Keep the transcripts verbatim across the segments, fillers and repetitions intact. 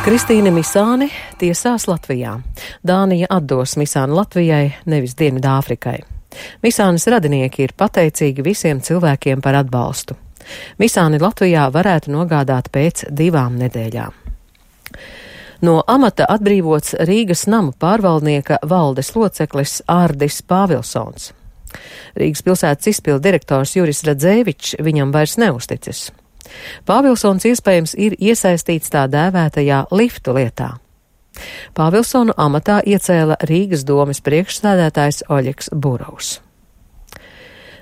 Kristīne Misāne tiesās Latvijā. Dānija atdos Misāni Latvijai, nevis Dienvidāfrikai. Misānes radinieki ir pateicīgi visiem cilvēkiem par atbalstu. Misāni Latvijā varētu nogādāt pēc divām nedēļām. No amata atbrīvots Rīgas namu pārvaldnieka valdes loceklis Ārdis Pāvilsons. Rīgas pilsētas izpildu direktors Juris Radzēvičs viņam vairs neuzticis. Pāvilsons iespējams ir iesaistīts tā dēvētajā liftu lietā. Pāvilsonu amatā iecēla Rīgas domes priekšsēdētājs Oļegs Burovs.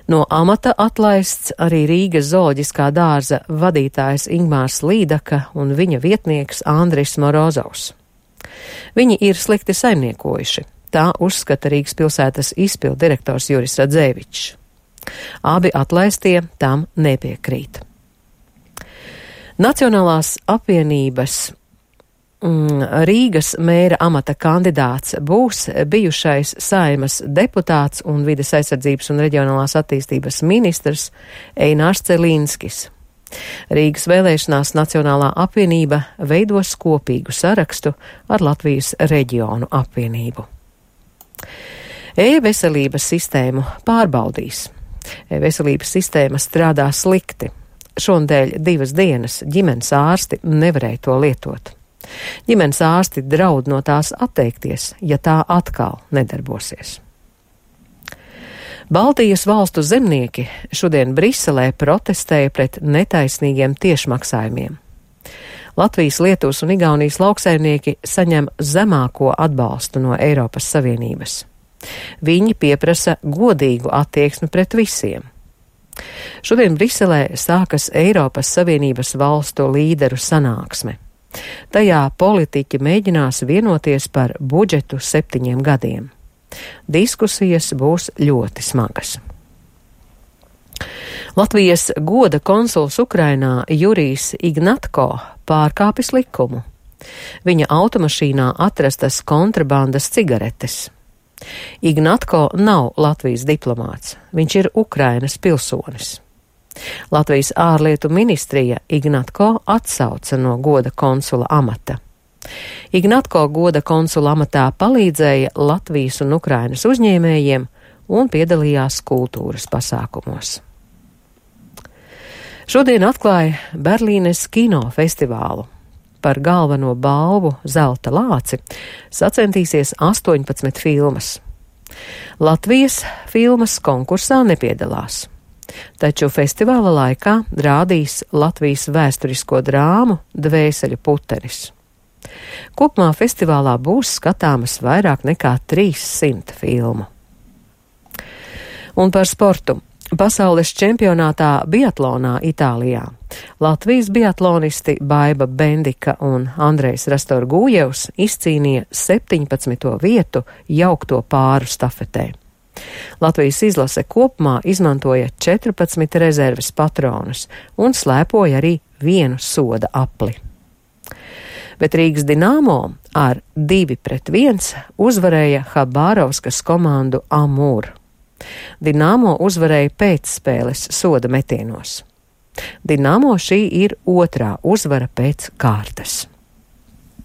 No amata atlaists arī Rīgas zooloģiskā dārza vadītājs Ingmārs Līdaka un viņa vietnieks Andris Morozovs. Viņi ir slikti saimniekojuši, tā uzskata Rīgas pilsētas izpildu direktors Juris Radzēvičs. Abi atlaistie tam nepiekrīt. Nacionālās apvienības mm, Rīgas mēra amata kandidāts būs bijušais Saeimas deputāts un vides aizsardzības un reģionālās attīstības ministrs Einārs Celīnskis. Rīgas vēlēšanās Nacionālā apvienība veidos kopīgu sarakstu ar Latvijas reģionu apvienību. E-veselības sistēmu pārbaudīs. E-veselības sistēma strādā slikti. Šonadēļ divas dienas ģimenes ārsti nevarēja to lietot. Ģimenes ārsti draud no tās atteikties, ja tā atkal nedarbosies. Baltijas valstu zemnieki šodien Briselē protestēja pret netaisnīgiem tiešmaksājumiem. Latvijas, Lietuvas un Igaunijas lauksaimnieki saņem zemāko atbalstu no Eiropas Savienības. Viņi pieprasa godīgu attieksmi pret visiem. Šodien Briselē sākas Eiropas Savienības valstu līderu sanāksme. Tajā politiķi mēģinās vienoties par budžetu septiņiem gadiem. Diskusijas būs ļoti smagas. Latvijas goda konsuls Ukrainā Jurijs Ignatko pārkāpis likumu. Viņa automašīnā atrastas kontrabandas cigaretes. Ignatko nav Latvijas diplomāts, viņš ir Ukrainas pilsonis. Latvijas ārlietu ministrija Ignatko atsauca no goda konsula amata. Ignatko goda konsula amatā palīdzēja Latvijas un Ukrainas uzņēmējiem un piedalījās kultūras pasākumos. Šodien atklāja Berlīnes kinofestivālu. Par galveno balvu Zelta lāci sacensties astoņpadsmit filmas. Latvijas filmas konkursā nepiedalās, taču festivāla laikā rādīs Latvijas vēsturisko drāmu Dvēseļu putenis. Kopumā festivālā būs skatāmas vairāk nekā trīssimt filmu. Un par sportu. Pasaules čempionātā biatlonā Itālijā Latvijas biatlonisti Baiba Bendika un Andrejs Rastorgujevs izcīnīja septiņpadsmito vietu jaukto pāru stafetē. Latvijas izlase kopumā izmantoja četrpadsmit rezerves patronus un slēpoja arī vienu soda apli. Bet Rīgas Dinamo ar divi pret viens uzvarēja Habārovskas komandu Amur. Dinamo uzvarēja pēcspēles soda metienos. Dinamo šī ir otrā uzvara pēc kārtas.